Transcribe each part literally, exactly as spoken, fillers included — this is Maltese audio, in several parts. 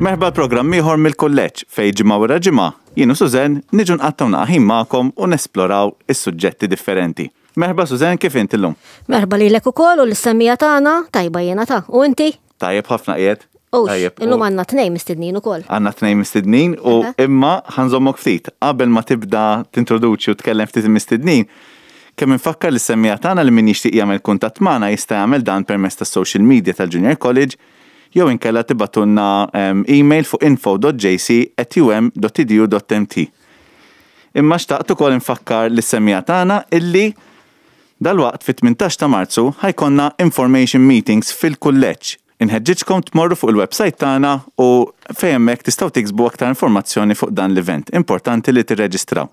Merħba l-programm ieħor mill-kulleġġ fejn ġimgħa wara ġimgħa jien u Suzen niġu nqattgħu naqra ħin magħkom u nesploraw is-suġġetti differenti. Merħba Suzen, kif inti llum? Merħba lilek ukoll u lis-semmiegħa tagħna, tajba jiena ta' u inti? Tajjeb ħafna qiegħed. Ux, Tajjeb. illum u għandna tnejn mistednin ukoll. Għandna tnejn mistednin u Aha. imma ħa nżommok ftit. Qabel ma tibda tintroduċi u tkellem ftit il-mistednin, kemm infakkar lis-semmiegħa tagħna li min jixtieq jagħmel kuntatt magħna jista' jagħmel dan permezz tas-social media tal-Junior College jew inkella tibagħtulna em, email fuq info dot J C at U M dot edu dot M T. Imma xtaqt ukoll infakkar lis-semmiegħa tagħna illi dalwaqt fit-tmintax ta' Marzu ħa jkollna information meetings fil-kulleġġ. Inħeġġiġkom tmorru fuq il-website tagħna u fejn hemmhekk tistgħu tiksbu aktar informazzjoni fuq dan l-event. Importanti li tirreġistraw.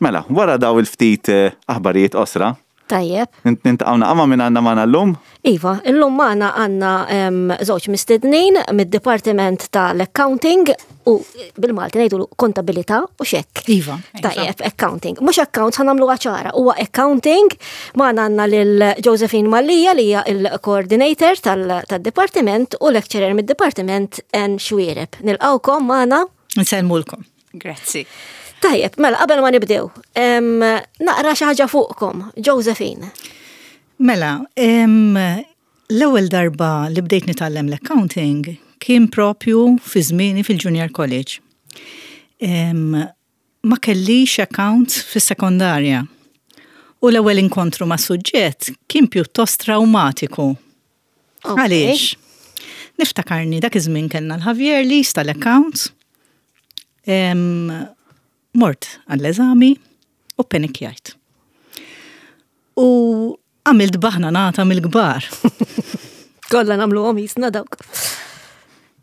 Mela, wara daw il-ftit eh, aħbarijiet qosra, Tajjeb. nintaqgħu naqama minn għandna magħna llum. Iva, illum magħna għandna em, żewġ mistednin mid-Dipartiment tal-Accounting u bil-Malti ngħidu kontabilità u xek. Iva. Tajjeb, accounting. Mhux accounts, ħa nagħmlu ċara, huwa accounting. Magħna għandna lil Josephine Mallia li hija il-coordinator tal-dipartiment u lecturer mid-dipartiment N Xuereb. Nilqawkom magħna. Nsellmulkom. Grazzi. Tajjeb, mela qabel ma nibdew, em, naqra xi ħaġa fuqkom, Josephine. Mela, em, l-ewwel darba li bdejt nitgħallem l-accounting kien propju fi żmieni fil-Junior College. Em, ma kellix accounts fis-sekondarja. U l-ewwel inkontru ma' suġġett kien pjuttost traumatiku. Ok. Għaliex? Niftakarni dak iż-żmien kellna l-Ħavjerli tal-accounts. Em, Mort għall-eżami u penikjajt. U għamilt baħnanata mill-kbar. Kollha nagħmluhom jisna dawk.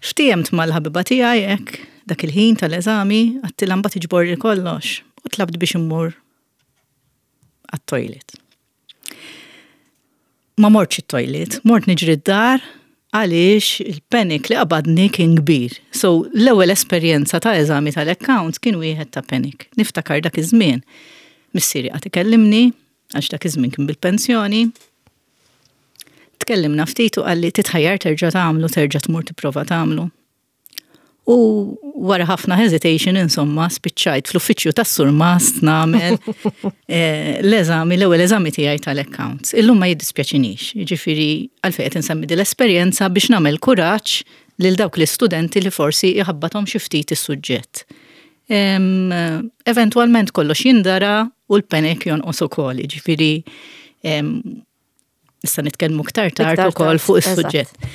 Ftiehemt mal-ħabiba tiegħi hekk dak il-ħin tal-eżami, għedtilha mbagħad iġbor kollox u tlabt biex immur għat-toilet. Ma mortx it-toilet, mort niġri d-dar għaliex il-panic li qabadni kien kbir. So l-ewwel esperjenza ta' eżami tal-accounts kien wieħed ta' panic. Niftakar dak iż-żmien. Missieri qagħad ikellimni, għax dak iż-żmien kien bil-pensjoni. Tkellimna ftit u qalli titħajjar terġa' tagħmlu, terġa' tmur tipprova tagħmlu. U wara ħafna hesitation, insomma, spiċċajt fl-uffiċċju tas-surmast nagħmel eh, l-eżami, l-ewwel eżami tiegħi tal-accounts. Illum ma jiddispjaċinix, jiġifieri għalfejn qed insemmi din l-esperjenza biex nagħmel kuraġġ lil dawk l-istudenti li forsi jħabbathom xi ftit is-suġġett. Em, Eventwalment kollox jindara u l-panic jonqos ukoll, jiġifieri em, issa nitkellmu iktar tard Iktar ukoll tard, fuq is-suġġett.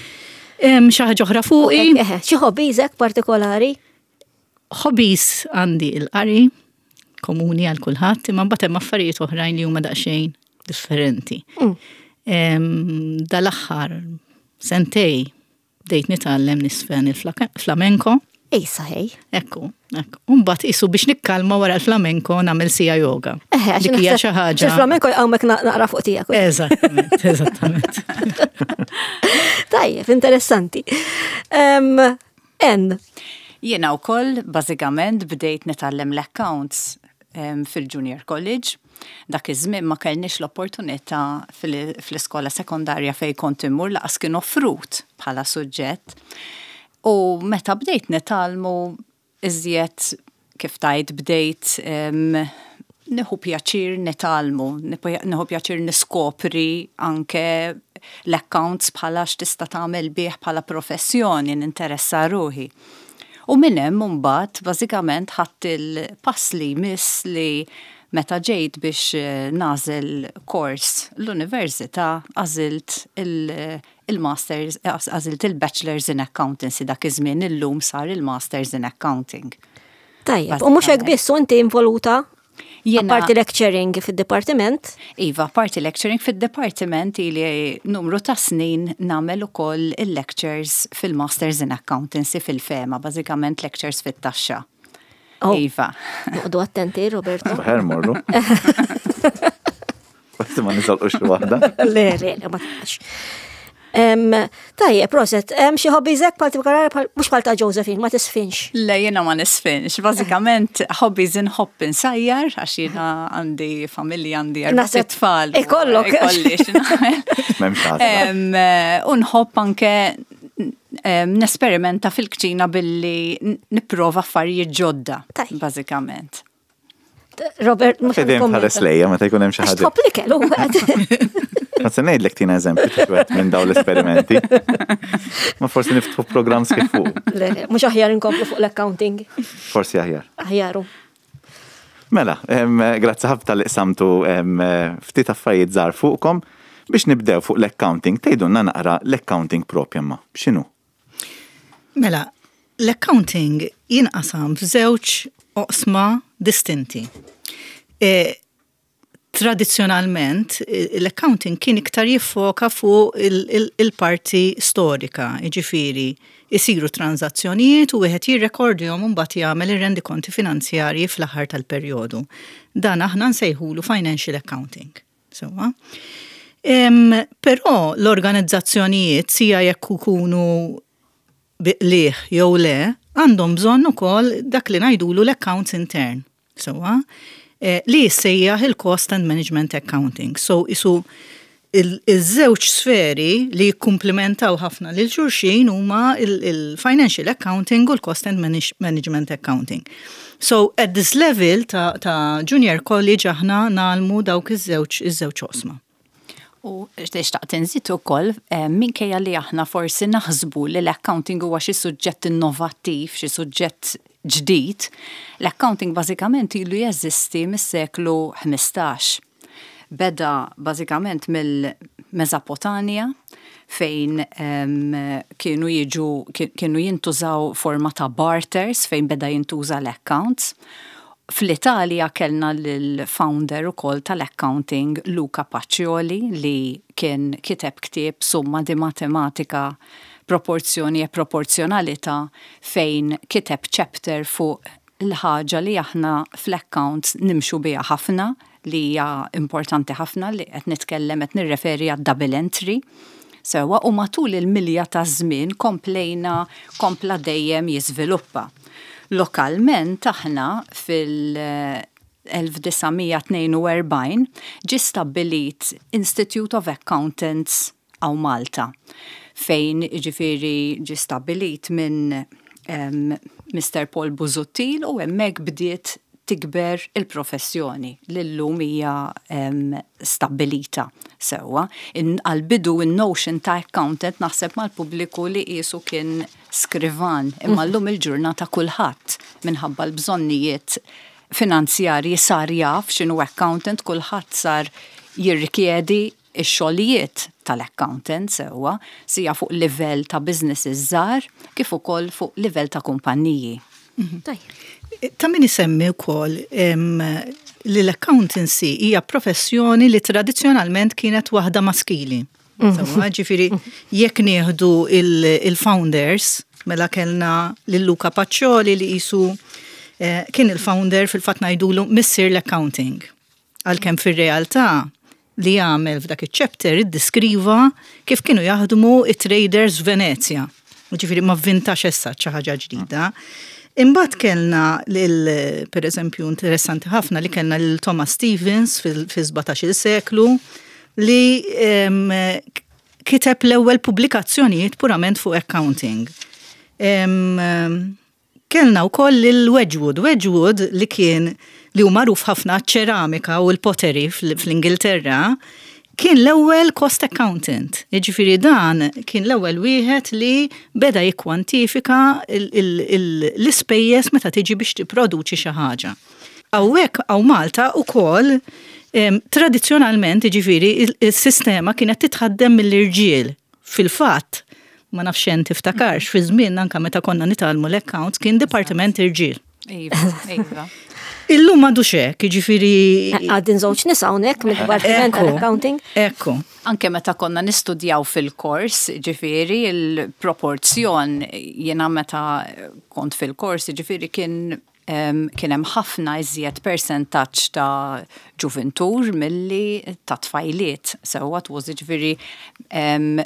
Em, Xi ħaġa oħra fuqi, Eħe, xi hobbies hekk partikolari? Hobbies għandi il-qari, komuni għal kulħadd, imma mbagħad hemm affarijiet oħrajn li huma daqsxejn differenti. Mm. Em, Dal-aħħar sentejn bdejt nitgħallem niżfen il-flamenko. Ejsa ħej. Ekku, ekku. Mbagħad isu biex nikkalma wara l-flamenko nagħmel sija yoga. Eħe, għax Dik hija naħseb xi ħaġa. Il-flamenko jqawmek na- naqra fuq tiegħek. Eżattament, eżattament. Tajjeb, interessanti. Em, En, Jiena wkoll bażikament bdejt nitgħallem l-accounts em, fil-Junior College. Dak iż-żmien ma kellniex l-opportunità fil- fl-iskola sekondarja fej kont immur, lanqas kien offrut bħala suġġett. U meta bdejt nitgħallmu iżjed, kif tajt, bdejt em, nieħu pjaċir nitgħallmu, nieħu pjaċir niskopri anke l-accounts bħala x'tista' tagħmel bih bħala professjoni, ninteressa ruħi. U minn hemm mbagħad bażikament ħadt il-pass li jmiss li meta ġejt biex eh, nagħżel kors l-università għażilt il- il-masters, eh, għażilt il-Bachelors in Accountancy dak iż-żmien, illum sar il-Masters in Accounting. Tajjeb, u mhux hekk biss, u inti involuta Jiena- apparti lecturing fid-dipartiment. Iva, parti lecturing fid-departiment, ili numru ta' snin nagħmel ukoll il-lectures fil-Masters in Accountancy fil-FEMA, bażikament lectures fit-taxxa. Oh. Iva. Noqogħdu attenti, Roberto. Ħer morru. Basta ma niżolqux xi waħda. Le, le, le, ma tafx. Em, Tajjeb, proset, hemm xi hobbies hekk partikolari bħal- mhux bħal ta' Josephine, ma tiżfinx? Le, jiena ma niżfinx. Bażikament hobbies inħobb insajjar, għax jiena għandi familja, għandi erba' Naħseb tfal. u ikollok. Ikolli x'nagħmel. M'hemmx għażla. Em, eh, U nħobb anke Nesperimenta fil-kċina billi nipprova affarijiet ġodda, bażikament. Robert, mhux Dejjem tħares lejja meta jkun hemm xi ħaġa. Tħobb l-ikel u Ma se ngħidlek tina eżempju ta' minn dawn l-esperimenti. Ma forsi niftħu programm sħiħ fuq. Le, mhux aħjar inkomplu fuq l-accounting. Forsi aħjar. Aħjaru. Mela, grazzi ħafna li qsamtu ftit affarijiet żgħar fuqkom biex nibdew fuq l-accounting. Tgħidulna naqra l-accounting propja ma. X'inhu? Mela, l-accounting jinqasam f'żewġ oqsma distinti. E, tradizzjonalment l-accounting kien iktar jiffoka fuq il-parti storika, jiġifieri isiru tranzazzjonijiet u wieħed jirrekordjhom u mbagħad jagħmel ir-rendikonti finanzjarji fl-aħħar tal-perjodu. Dan aħna nsejħulu financial accounting. Sewwa. Però l-organizzazzjonijiet sija jekk ikunu bi qligħ jew le, għandhom bżonn ukoll dak li ngħidulu l-accounts intern. Sewwa, eh, li jissejjaħ il-cost and management accounting. So isu il-żewġ sferi li jikkumplementaw ħafna lil xulxin huma il-financial accounting u l-cost and management accounting. So at this level ta', ta junior college aħna ngħallmu dawk iż-żewġ iż-żewġ oqsma. U xtaqt inżid ukoll eh, minkejja li aħna forsi naħsbu li l-accounting huwa xi suġġett innovattiv, xi suġġett ġdid, l-accounting bażikament ilu jeżisti mis-seklu ħmistax. Beda bażikament mill-Mesopotamja fejn um, kienu jiġu kienu jintużaw forma ta' barters fejn beda jintuża l-accounts. Fl-Italja kellna l-founder ukoll tal-accounting Luca Pacioli li kien kiteb ktieb Summa di Matematika, Proporzjoni e Proporzjonalità, fejn kiteb chapter fuq l-ħaġa li aħna fl-accounts nimxu biha ħafna, li hija importanti ħafna, li qed nitkellem, qed nirreferi għad double entry. Sewwa, u matul il-milja ta' żmien komplejna kompla dejjem jiżviluppa. Lokalment aħna fil-elf disa' mija tnejn u erbgħin ġi stabbilit Institute of Accountants hawn Malta, fejn ġifieri ġi stabbilit minn um, Mister Paul Busuttil u hemmhekk bdiet tikber il-professjoni li llum hija um, stabbilita sewwa. Għal-bidu in-notion ta' accountant naħseb mal-pubbliku li qisu kien skrivan, imma llum il-ġurnata kulħadd minħabba l-bżonnijiet finanzjarji sar jaf x'inhu accountant, kulħadd sar jirrikjedi ix-xogħlijiet tal-accountant sewwa, sija fuq livell ta' businesses żgħar kif ukoll fuq livell ta' kumpanniji. Tajjeb. Ta' min isemmi wkoll li l-accountancy hija professjoni li tradizzjonalment kienet waħda maskili. Sewwa, ġifieri jekk nieħdu il-founders, mela kellna lil Luca Pacioli li qisu eh, kien il-founder, fil-fatt ngħidulu missier l-accounting. Għalkemm fir-realtà li għamel f'dak iċ-chapter iddiskriva kif kienu jaħdmu it-traders Venezia. Ġifieri ma vvintax issa xi ħaġa ġdida. Imbagħad kellna lil, per eżempju, interessanti ħafna li kellna lil Thomas Stevens fil-sbatax-il seklu li em, kiteb l-ewwel pubblikazzjonijiet purament fuq accounting. Em, kellna wkoll lil Wedgwood. Wedgwood li kien li hu magħruf ħafna ċeramika u l-pottery fl-Ingilterra, kien l-ewwel cost accountant. Jiġifieri dan kien l-ewwel wieħed li beda jikkwantifika l-ispejjeż meta tiġi biex tipproduċi xi ħaġa. Hawnhekk hawn Malta ukoll tradizzjonalment, jiġifieri il-sistema kienet titħaddem mill-irġiel. Fil-fatt, ma nafx tiftakarx, fi żmien anka meta konna nitgħallmu l-accounts kien dipartiment irġiel. Iva, iva. Illum m'għadux hekk, jiġifieri. Għaddin żewġ nisa hawnhekk mid-Dipartiment tal-Accounting. Ekku. Anke meta konna nistudjaw fil-kors, ġifieri il-proporzjon, jiena meta kont fil-kors, ġifieri kien kien hemm ħafna iżjed persentaġġ ta' ġuvintur milli ta' tfajliet. Sewwa, was ġifieri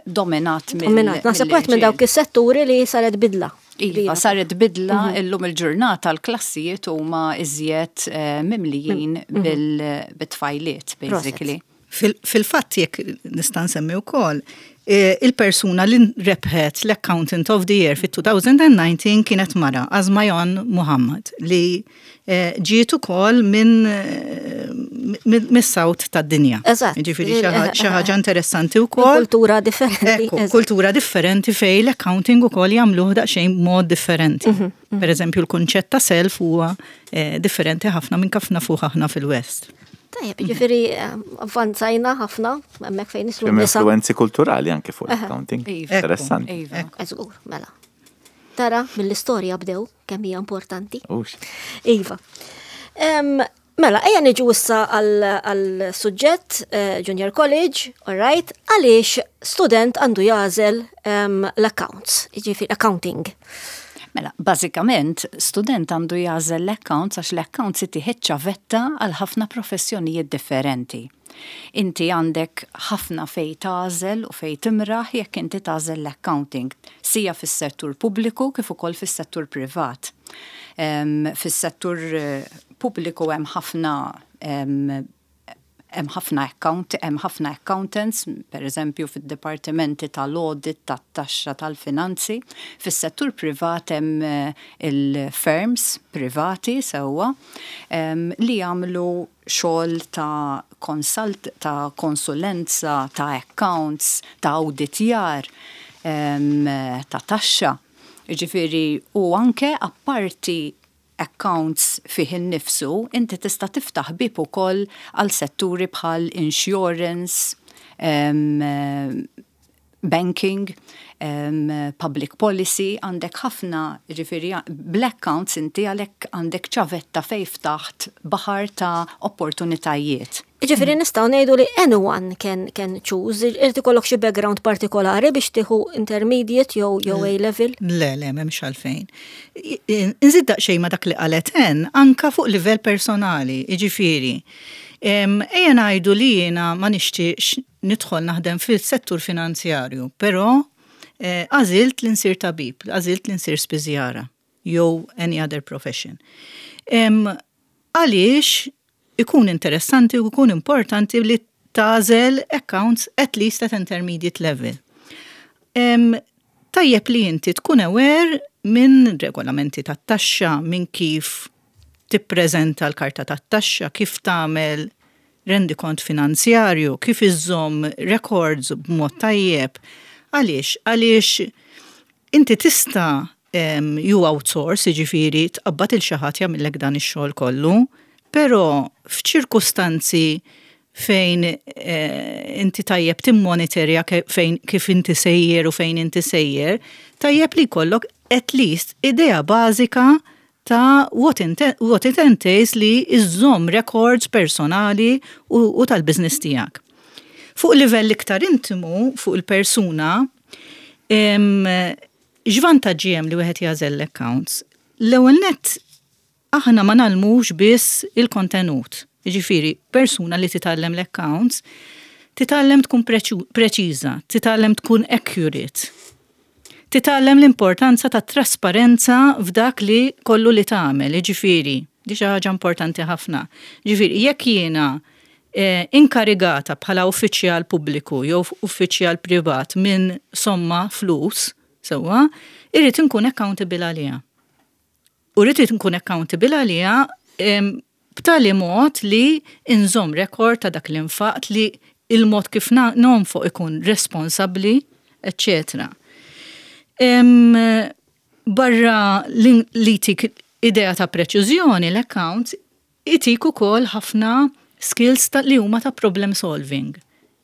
dominat mill. Dominat. Naħseb wieħed minn dawk is-setturi li saret bidla. Iva, saret bidla, mhm. illum il-ġurnata l-klassijiet huma iżjed eh, mimlijin mhm. bil-tfajliet, basically. Fil-fatt, jekk nista' nsemmi wkoll, eh, il-persuna li rebħet l-Accountant of the Year fit-elfejn u dsatax kienet mara, Azmajon Muhammad, li eh, ġiet ukoll minn eh, mis-south tad-dinja. Eżatt. Ġifieri xi ħaġa interessanti wkoll. Kultura differenti. Ekku, kultura differenti fej l-accounting ukoll jagħmluh daqsxejn mod differenti. Mhm, mhm. Per eżempju, l-kunċett ta' self huwa differenti ħafna minn kif nafuh aħna fil-West. Tajjeb, ġifieri avvanzajna ħafna, hemmhekk fejn jidħlu nisa. Influenzi kulturali anke fuq l-accounting. Iva. Interessanti. Iva. Eżgur, mela. Tara, mill-istorja bdew, kemm hija importanti. Iva. Mela, ejja niġu issa għal suġġett eh, Junior College, all right, għaliex student għandu jagħżel l-accounts, ġifieri accounting. Mela, bażikament, student għandu jagħżel l-accounts għax l-accounts itih ċavetta għal ħafna professjonijiet differenti. Inti għandek ħafna fej tagħżel u fej timraħ jekk inti tagħżel l-accounting, sija fis-settur pubbliku kif ukoll fis-settur privat. Fis-settur eh, pubbliku hemm ħafna hemm ħafna account, hemm ħafna accountants, per eżempju fid-dipartimenti tal-audit, tat-taxxa, tal-finanzi. Fis-settur privat hemm eh, il-firms privati sewwa li jagħmlu xogħol ta' consult, ta' konsulenza, ta' accounts, ta' auditjar, ta' taxxa. Ġifieri, u anke apparti accounts fih innifsu, inti tista' tiftaħ bib ukoll għal setturi bħal insurance, um, banking, um, public policy, għandek ħafna, ġifieri, bl-accounts inti għalek għandek ċavetta fej ftaħt baħar ta' opportunitajiet. Ġifieri nistgħu ngħidu li anyone can, can choose, irid ikollok xi background partikolari biex tieħu intermediate jew jew A level? Le, le, m'hemmx għalfejn. Nżid daqsxejn ma dak li qalet en, anka fuq livell personali, jiġifieri. Ejja ngħidu li jiena ma nixtieqx nidħol naħdem fil-settur finanzjarju, però eh, għażilt li nsir tabib, għażilt li nsir spiżjara, jew any other profession. Għaliex ikun interessanti u ikun importanti li tagħżel accounts at least at intermediate level. Um, tajjeb li inti tkun aware minn regolamenti tat-taxxa, minn kif tippreżenta l-karta tat-taxxa, kif tagħmel rendikont finanzjarju, kif iżżomm records b'mod tajjeb. Għaliex? Għaliex inti tista' um, you outsource, jiġifieri tqabbad lil xi ħadd jagħmillek dan ix-xogħol kollu, però f'ċirkustanzi fejn eh, inti tajjeb timmonitorja fejn kif inti sejjer u fejn inti sejjer, tajjeb li jkollok at least idea bażika ta' what, what it entails li iżżomm records personali u, u tal-business tiegħek. Fuq livell iktar intimu, fuq il-persuna, x'vantaġġi hemm li wieħed jagħżel l-accounts? L-ewwel net, aħna ma ngħallmux biss il-kontenut. Ġifieri, persuna li titgħallem l-accounts, titgħallem tkun preċiża, titgħallem tkun accurate. Titgħallem l-importanza ta' trasparenza f'dak li kollu li tagħmel, ġifieri, di xi ħaġa importanti ħafna. Ġifieri, jekk jiena eh, inkarigata bħala uffiċjal pubbliku jew uffiċjal privat minn somma flus, sewwa, irrid inkun accountable għaliha. U rrid nkun accountable għaliha b'tali mod li inżomm rekord ta' dak l-infaqt, li il-mod kif nonfoq ikun responsabli, eccetera. Barra li tik idea ta' preċiżjoni, l-accounts itik ukoll ħafna skills ta' li huma ta' problem solving.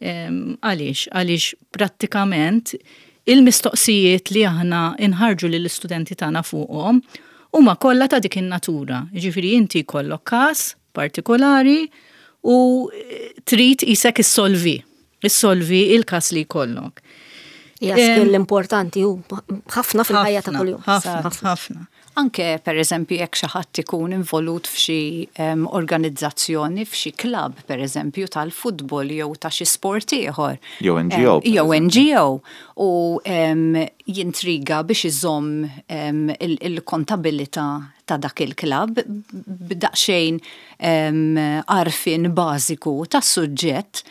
Għaliex? Għaliex prattikament il-mistoqsijiet li aħna inħarġu lill-istudenti tagħna fuqhom huma kollha ta' dik in-natura. Jiġifieri inti jkollok każ partikolari u trid isek issolvi, issolvi il-każ li jkollok. Hija skill importanti u ħafna fil-ħajja ta' kuljum. Ħafna, ħafna. Anke per eżempju jekk xi ħadd ikun involut f'xi um, organizzazzjoni, f'xi klabb per eżempju tal-futbol jew ta' xi sport ieħor. Jew N G O. Um, jew N G O u um, jintriga biex iżomm um, il-kontabilità ta' dak il-klabb b'daqsxejn għarfien bażiku tas-suġġett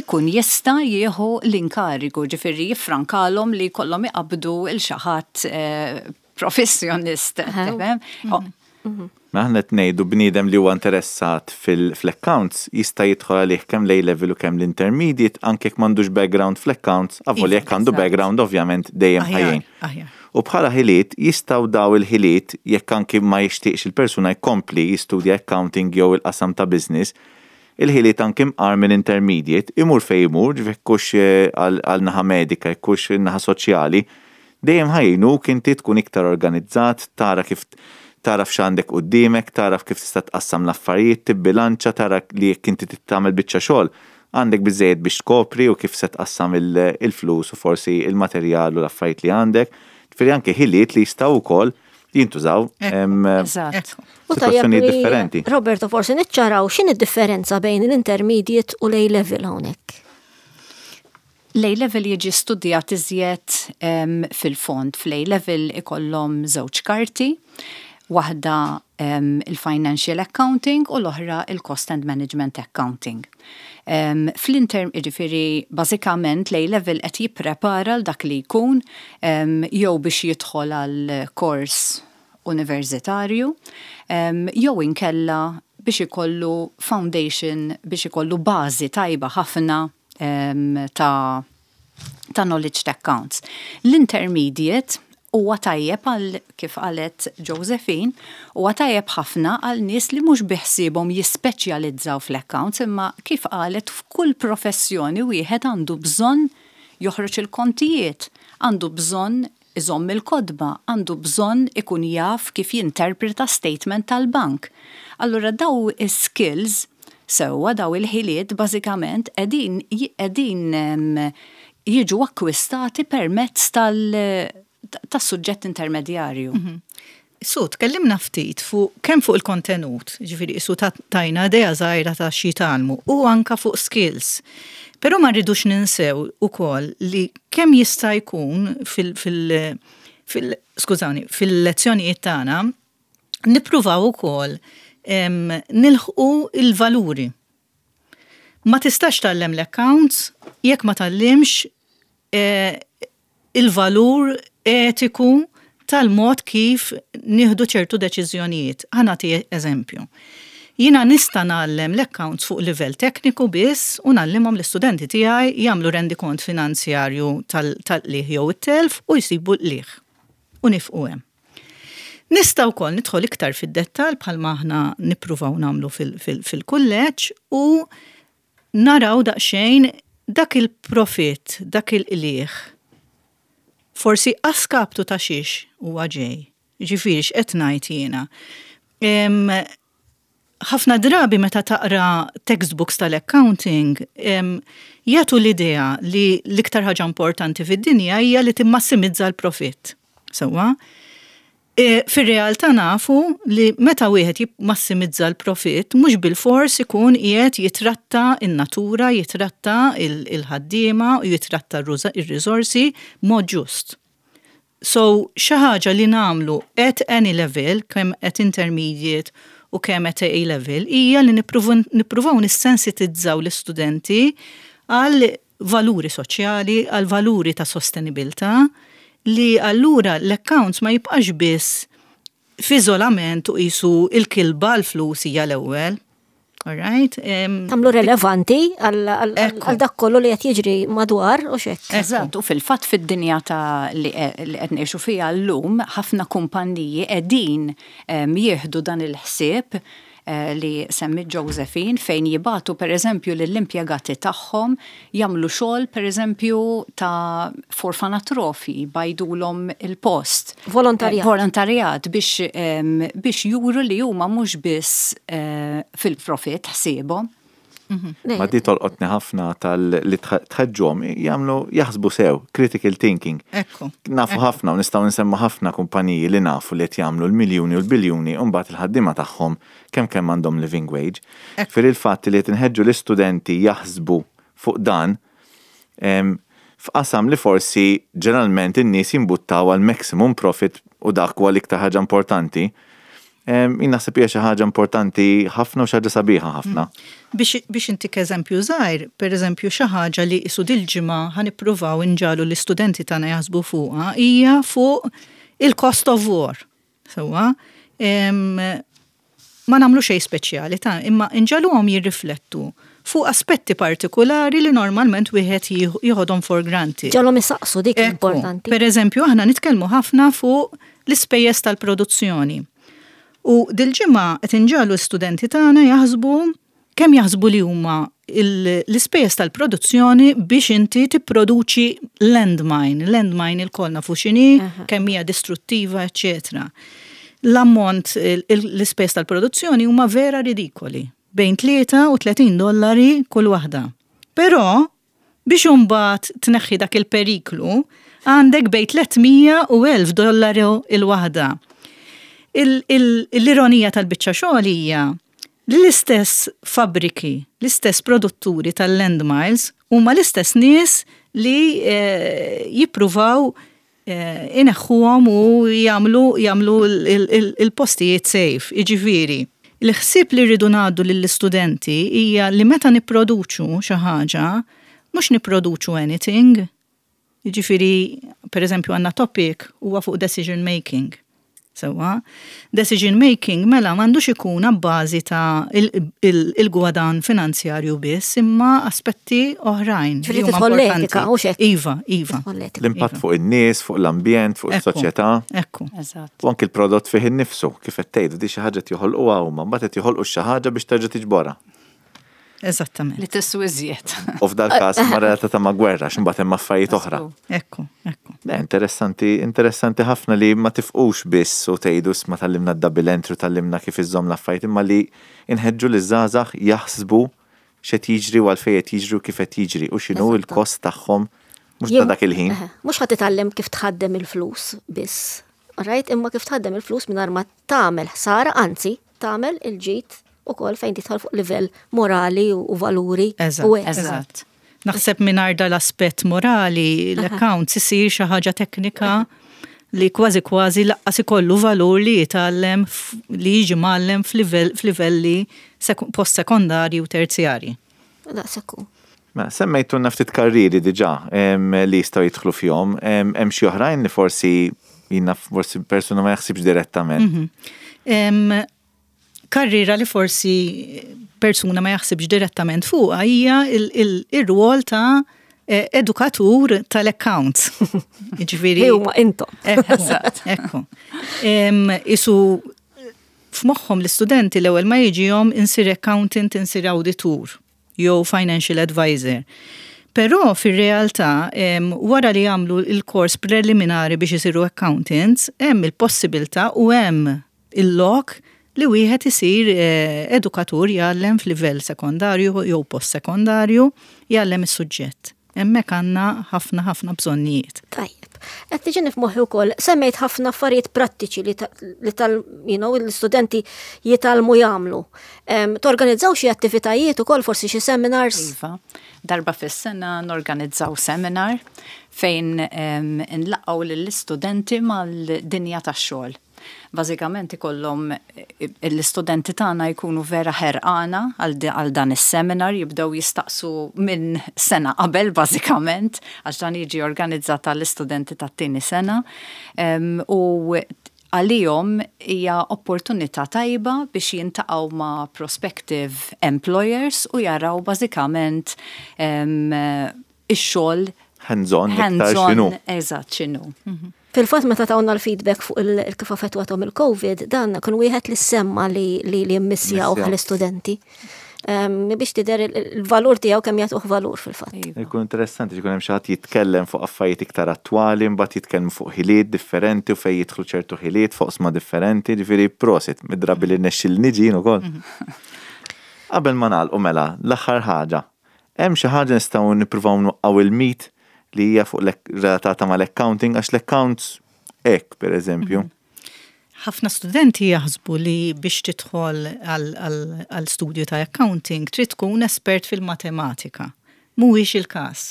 ikun jista' jieħu l-inkarigu, ġifieri jiffrankalhom li jkollhom iqabdu 'l xi ħadd eh, professjonist. Mhm. Ma aħna qed ngħidu bniedem li huwa interessat fil-accounts jista' jidħol għalih kemm l level u kemm l-intermediate, anke jekk m'għandux background fl-accounts, avolja jekk għandu background ovvjament dejjem ħajjin. U bħala ħiliet jistgħu daw il-ħiliet, jekk anki ma jixtieqx il-persuna jkompli jistudja accounting jew il-qasam ta' business, il-ħiliet anki mqar minn intermediate, imur fej imur, jekkux eh, għal naħa medika, jekkux naħa soċjali, dejjem ħa jgħinuk inti tkun iktar organizzat, tara kif taraf x'għandek quddiemek, taraf kif tista' tqassam l-affarijiet, tibbilanċa, tara li jekk inti tagħmel biċċa xogħol, għandek biżejjed biex tkopri u kif se tqassam il-flus u forsi il-materjal u l-affarijiet li għandek. Ġifieri anke ħiliet li jistgħu wkoll jintużaw situazzjonijiet differenti. Roberto, forsi niċċaraw x'in id-differenza bejn l-intermediate u l-A-level hawnhekk. L-A-level jiġi studjat iżjed fil-fond. Fl-A-level ikollhom żewġ karti, waħda um, il-Financial Accounting u l-oħra il-Cost and Management Accounting. Um, Fl-inter, ġifieri, bażikament l-A-level qed jipprepara l dak li jkun um, jew biex jidħol għal kors universitarju, um, jew inkella biex ikollu foundation, biex ikollu bażi tajba ħafna um, ta' ta' knowledge ta' accounts. L-intermediate huwa tajjeb għal, kif qalet Josephine, huwa tajjeb ħafna għal nies li mhux biħsiebhom jispeċjalizzaw fl-accounts, imma kif qalet, f'kull professjoni wieħed għandu bżonn joħroġ il-kontijiet, għandu bżonn iżomm il-kotba, għandu bżonn ikun jaf kif jinterpreta statement tal-bank. Allura daw is-skills, sewwa, daw il-ħiliet bażikament qegħdin qegħdin jiġu akkwistati permezz tal- tas-suġġett intermedjarju. Mhm. Su, tkellimna ftit fuq kemm fuq il-kontenut, ġifieri su tajna idea żgħira ta' xi tgħallmu u anka fuq skills. Però ma rridux ninsew ukoll li kemm jista' jkun fil, fil, fil skużawni, fil-lezzjonijiet tagħna nippruvaw ukoll nilħqu il-valuri. Ma tistax tgħallem l-accounts jekk ma tgħallimx eh, il-valur etiku tal-mod kif nieħdu ċertu deċiżjonijiet. Ħa nagħti eżempju. Jiena nista' ngħallem l-accounts fuq livell tekniku biss u ngħallimhom l-istudenti tiegħi jagħmlu rendikont finanzjarju tal-qligħ jew it-telf u jsibu l-qligħ. U nieqfu hemm. Nista' wkoll nidħol iktar fid-dettall bħalma aħna nippruvaw nagħmlu fil-kulleġġ u naraw daqsxejn dak il-profit, dak il-qligħ forsi a skaptu ta' xiex huwa ġej. Ġifieri x'qed ngħid jiena? Ħafna drabi meta taqra textbooks tal-accounting jagħtu l-idea li l-iktar ħaġa importanti fid-dinja hija li timmassimizza l-profit. Sewwa? E, fir-realtà nafu li meta wieħed jimmassimizza l-profit mhux bil-fors ikun qiegħed jitratta in-natura, jitratta il-ħaddiema u jitratta ir-riżorsi mod ġust. So xi ħaġa li nagħmlu at any level, kemm at intermediate u kemm at A level, hija li nippruvaw nissensitizzaw l-istudenti għal valuri soċjali, għal valuri ta' sostenibilità, li allura l-accounts ma jibqax biss f'iżolament u qisu il-kilba l-flus hija l-ewwel. All right? Tagħmlu relevanti għal dak kollu li qed jiġri madwar u xek. Eżatt, u fil-fatt fid-dinja ta' li qed ngħixu fiha llum, ħafna kumpanniji qegħdin jieħdu dan il-ħsieb eh, li semmi Josephine, fejn jibagħtu per eżempju lill-impjegati tagħhom jagħmlu xogħol, per eżempju, ta' f'orfanatrofi, jbajdulhom il-post. Volontarjat. Eh, volontarjat biex, biex juru li huma mhux biss eh, fil-profit ħsiebhom. Ma di tolqotni ħafna tal li tħeġġuhom jagħmlu jaħsbu sew, critical thinking. Ekku. Nafu ħafna u nistgħu nsemmu ħafna kumpaniji li nafu li qed jagħmlu l-miljuni u l-biljuni u mbagħad il-ħaddiema tagħhom kemm kemm għandhom living wage. Fir il-fatt li qed inħeġġu l-istudenti jaħsbu fuq dan f'qasam li forsi ġeneralment in-nies jimbuttaw għal maximum profit u dak huwa l-iktar ħaġa importanti. Jien naħseb hija xi ħaġa importanti ħafna u xi ħaġa sabiħa ħafna. Biex, biex intik eżempju żgħir, per eżempju xi ħaġa li qisu dil-ġimgħa ħa nippruvaw inġagħlu l-istudenti tagħna jaħsbu fuqha hija fuq il-cost of war. Sewwa, ma nagħmlu xejn speċjali ta' imma inġagħluhom jirriflettu fuq aspetti partikolari li normalment wieħed jieħodhom for granted. Ġagħalhom isaqsu dik importanti. Per eżempju, aħna nitkellmu ħafna fuq l-ispejjeż tal-produzzjoni. U dil-ġimgħa qed inġagħlu l-istudenti tagħna jaħsbu kemm jaħsbu li huma l-ispejjeż tal-produzzjoni biex inti tipproduċi landmine. Landmine ilkoll nafu x'inhi, kemm hija distruttiva, eċċetera. L-ammont l-ispejjeż tal-produzzjoni huma vera ridikoli, bejn tlieta u tletin dollari kull waħda. Però biex imbagħad tneħħi dak il-periklu, għandek bejn tliet mija u elf dollari il-waħda. L-ironija tal-biċċa xogħol hija li l-istess fabriki, l-istess produtturi tal-landmines huma l-istess nies li eh, jippruvaw eh, ineħħuhom u jagħmlu jagħmlu il-postijiet safe, jiġifieri. Il-ħsieb li rridu ngħaddu lill-istudenti hija li meta nipproduċu xi ħaġa, mhux nipproduċu anything. Jiġifieri, per eżempju, għandna topic huwa fuq decision making. Sewwa, decision making mela m'għandux ikun abbażi ta' il-gwadan finanzjarju biss, imma aspetti oħrajn. Ġifieri tidħol l-etika, u xek. Iva, iva. L-impatt fuq in-nies, fuq l-ambjent, fuq is-soċjetà. Ekku. Eżatt. U anki l-prodott fih innifsu, kif qed tgħidu, di xi ħaġa joħolquha huma, mbagħad qed joħolqu xi ħaġa biex terġa' tiġborha. Eżattament. Li tiswa iżjed. U f'dal każ ma relatata ma' gwerra, x'imbagħad hemm affarijiet oħra. Ekku, ekku. Le, interessanti, interessanti ħafna li ma tifqux biss u tgħidu ma tgħallimna d-double entry, tgħallimna kif iżżomm l-affarijiet, imma li inħeġġu li żgħażagħ jaħsbu x'qed jiġri u għalfejn qed jiġri u kif qed jiġri u x'inhu l-kost tagħhom mhux ta' dak il-ħin. Mhux ħadd titgħallem kif tħaddem il-flus biss. Right? Imma kif tħaddem il-flus mingħajr ma tagħmel ħsara, anzi tagħmel il-ġid ukoll fejn tidħol fuq livell morali u valuri. Eżatt. Naħseb mingħajr dal-aspett morali, l-accounts isir xi ħaġa teknika li kważi kważi lanqas ikollu valur li jitgħallem li jiġi mgħallem f'livelli post-sekondarji u terzjari. Daqshekk. Ma semmejtu ftit karriri diġà li jistgħu jidħlu fihom, hemm xi oħrajn li forsi jiena forsi persuna ma jaħsibx direttament. Mhm. Karriera li forsi persuna ma jaħsibx direttament fuqha hija il-rwol ta' eh, edukatur tal-accounts. Jiġifieri. Huma intom. Ekku. Isu f'moħħhom l-istudenti l-ewwel ma jiġihom insir accountant, insir auditur jew financial advisor. Però fir-realtà wara li jagħmlu il-kors preliminari biex isiru accountants, hemm il-possibilità u hemm il-lok li wieħed isir eh, edukatur jgħallem f'livell sekondarju jew post-sekondarju jgħallem is-suġġett. Hemmhekk għandna ħafna ħafna bżonnijiet. Tajjeb. Qed tiġini f'moħħi wkoll semmejt ħafna affarijiet prattiċi li tal you know, l-istudenti jitgħallmu jagħmlu. Torganizzaw xi attivitajiet ukoll, forsi xi seminars? Iva. Darba fis-sena norganizzaw seminar fejn nlaqqgħu lill-istudenti mal-dinja tax-xogħol. Bażikament ikollhom l-istudenti tagħna jkunu vera ħerqana għal dan is-seminar, jibdew jistaqsu minn sena qabel bażikament, għax dan jiġi organizzat għall-istudenti tat-tieni sena. U għalihom hija opportunità tajba biex jiltaqgħu ma' prospective employers u jaraw bażikament ix-xogħol hands-on, x'inhu. Eżatt, x'inhu. Mhm. Fil-fatt meta tawna l-feedback fuq il-kif affettwathom il-Covid, dan kien wieħed li semma li li mmissjaw l-istudenti. Biex tidher il-valur tiegħu, kemm jagħtuh valur fil-fatt. Iva. Ikun interessanti jkun hemm xi ħadd jitkellem fuq affarijiet iktar attwali, mbagħad jitkellem fuq ħiliet differenti u fejn jidħlu ċertu ħiliet fuq oqsma differenti, ġifieri prosit mid-drabi li nexxil niġi ukoll. Mhm. Qabel ma nagħlqu mela, l-aħħar ħaġa. Hemm xi ħaġa nistgħu nippruvaw nwaqqgħu il-myth li hija fuq relatata mal-accounting għax l-accounts hekk pereżempju. Ħafna studenti jaħsbu li biex tidħol għal studju ta' accounting trid tkun espert fil-matematika. Mhuwiex il-każ.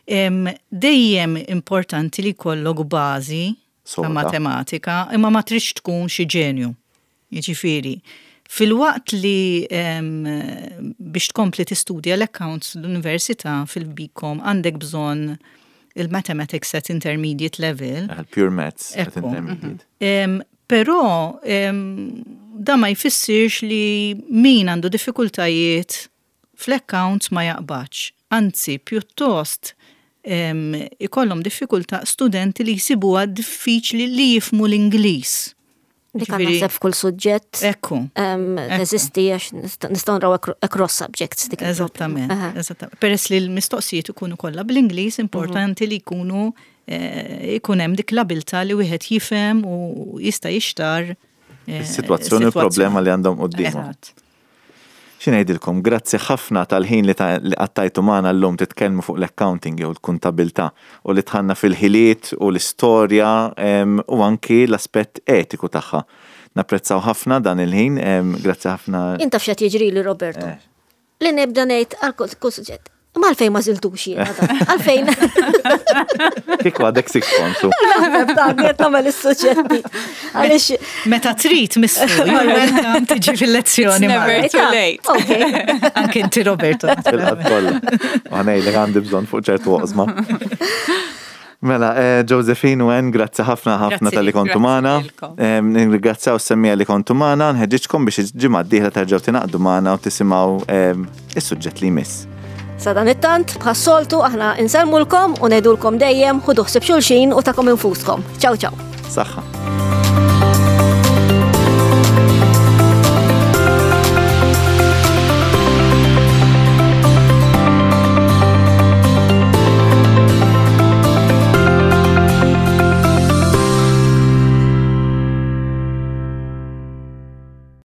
Dejjem importanti li jkollok bażi ta' matematika, imma ma tridx tkun xi ġenju. Jiġifieri, filwaqt li biex tkompli tistudja l-accounts l-università fil-B Com għandek bżonn il-mathematics at intermediate level. Pure maths at intermediate. Però da ma jfissirx li min għandu diffikultajiet fl-accounts ma jaqbadx. Anzi, pjuttost ikollhom diffikultà studenti li jsibuha diffiċli li jifhmu l-Ingliż. Dik naħseb f'kull suġġett. Ekku. Teżisti għax nistgħu nraw across subjects dik. Eżattament. Eżattament. Peress li l-mistoqsijiet ikunu kollha bl-Ingliż, importanti li jkunu eh, ikun hemm dik l-abilità li wieħed jifhem u jista' jixtar eh, is-sitwazzjoni u problema li għandhom quddiemhom. Xi ngħidilkom, grazzi ħafna tal-ħin li qattajtu magħna llum titkellmu fuq l-accounting jew l-kontabilità u li dħalna fil-ħiliet u l-istorja u anki l-aspett etiku tagħha. Napprezzaw ħafna dan il-ħin, grazzi ħafna. Inta f'xat jiġri li Roberto. Eh. Li nibda ngħid għal kull suġġett. Ma għalfejn ma żiltux jiena għalfejn. Kieku għadek six form. Qed nagħmel is-suġġetti. Għaliex. Meta trid missu, welcome tiġi fil-lezzjoni. Never too late. Anke inti, Roberto. Fil-qatt kollha. U ngħidlek għandi bżonn fuq ċertu oqsma. Mela, eh, Josephine u Ann, grazzi ħafna ħafna talli kontu magħna. Nirringrazzjaw is-semmiegħa li kontu magħna, nħeġġiġkom biex il-ġimgħa d-dieħla terġgħu tingħaqdu magħna u tisimgħu is-suġġett li jmiss. Sadanittant, bħas-soltu aħna insellmulkom u ngħidulkom dejjem ħudu ħsieb xulxin u tagħkom infuskom. Ciao ciao. Saħħa.